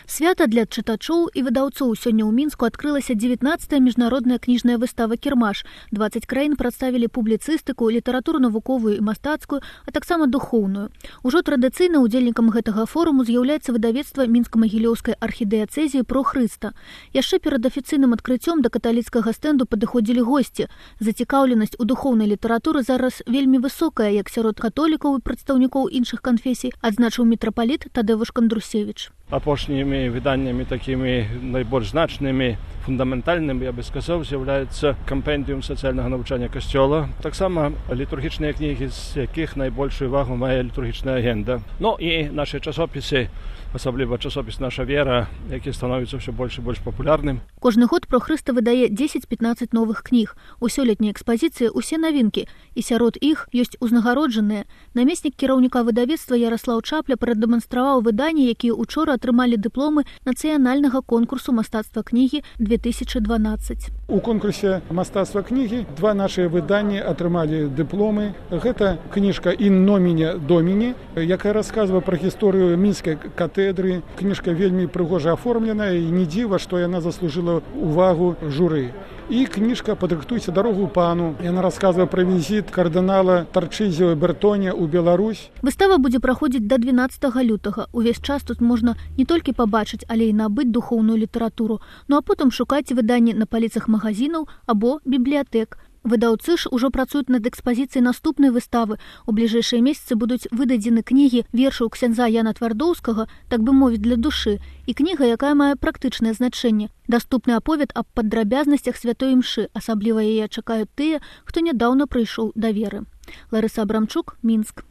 Свята для чытачоў і выдаўцоў. Сёння ў Мінску адкрылася 19-я міжнародная кніжная выстава «Кірмаш». 20 краін прадставілі публіцыстыку, літаратуру навуковую і мастацкую, а таксама духоўную. Ужо традыцыйна удзельнікам гэтага форуму з'яўляецца выдавецтва мінска-магілёўскай архідыяцэзіі «Про Хрыста». Яшчэ перад афіцыйным адкрыццём да каталіцкага стэнду падыходзілі госці. Зацікаўленасць у духоўнай літаратуры зараз вельмі высокая, як сярод католікаў і прадстаўнікоў іншых канфесій, адзначыў мітрапаліт Тадзеуш Кандрусевич. Апошнімі выданнямі такімі найбольш значнымі, фундаментальнымі, я бы сказаў, з'яўляецца кампендыум сацыяльнага навучання касцёла. Таксама літургічныя кнігі, з якіх найбольшую увагу мае літургічная агенда. Ну і нашы часопісы, асабліва часопіс «Наша вера», які становіцца ўсё больш і больш папулярным. Кожны год «Про Хрыста» выдае 10-15 новых кніг. У сёлетняй экспазіцыі ўсе навінкі, і сярод іх ёсць узнагароджаныя. Намеснік кіраўніка выдавецтва Яраслаў Чапля прадэманстраваў выданні, якія учора атрымалі дыпломы нацыянальнага конкурсу мастацтва кнігі 2012. У конкурсе мастацтва кнігі два нашыя выданні атрымалі дыпломы. Гэта кніжка «Ін номіне доміне», якая расказвае пра гісторыю мінскай катедры. Кніжка вельмі прыгожа аформленая, і не дзіва, што яна заслужыла увагу журы. І кніжка «Падрыхтуйся дарогу пану». Яна расказвае пра візіт кардынала Тарчызіо Бертоне ў Беларусь. Выстава будзе праходзіць да 12 лютага. Увесь час тут можна не толькі пабачыць, але і набыць духоўную літаратуру. Ну а потым шукаць выданні на паліцах магазінаў або бібліятэк. Выдаўцы ж ужо працуюць над экспазіцыяй наступнай выставы. У бліжэйшыя месяцы будуць выдадзены кнігі вершаў ксяндза Яна Твардоўскага, так бы мовіць, для душы, і кніга, якая мае практычнае значэнне. Даступны аповед аб падрабязнасцях святой імшы, асабліва яе чакаюць тыя, хто нядаўна прыйшоў да веры. Ларыса Абрамчук, Мінск.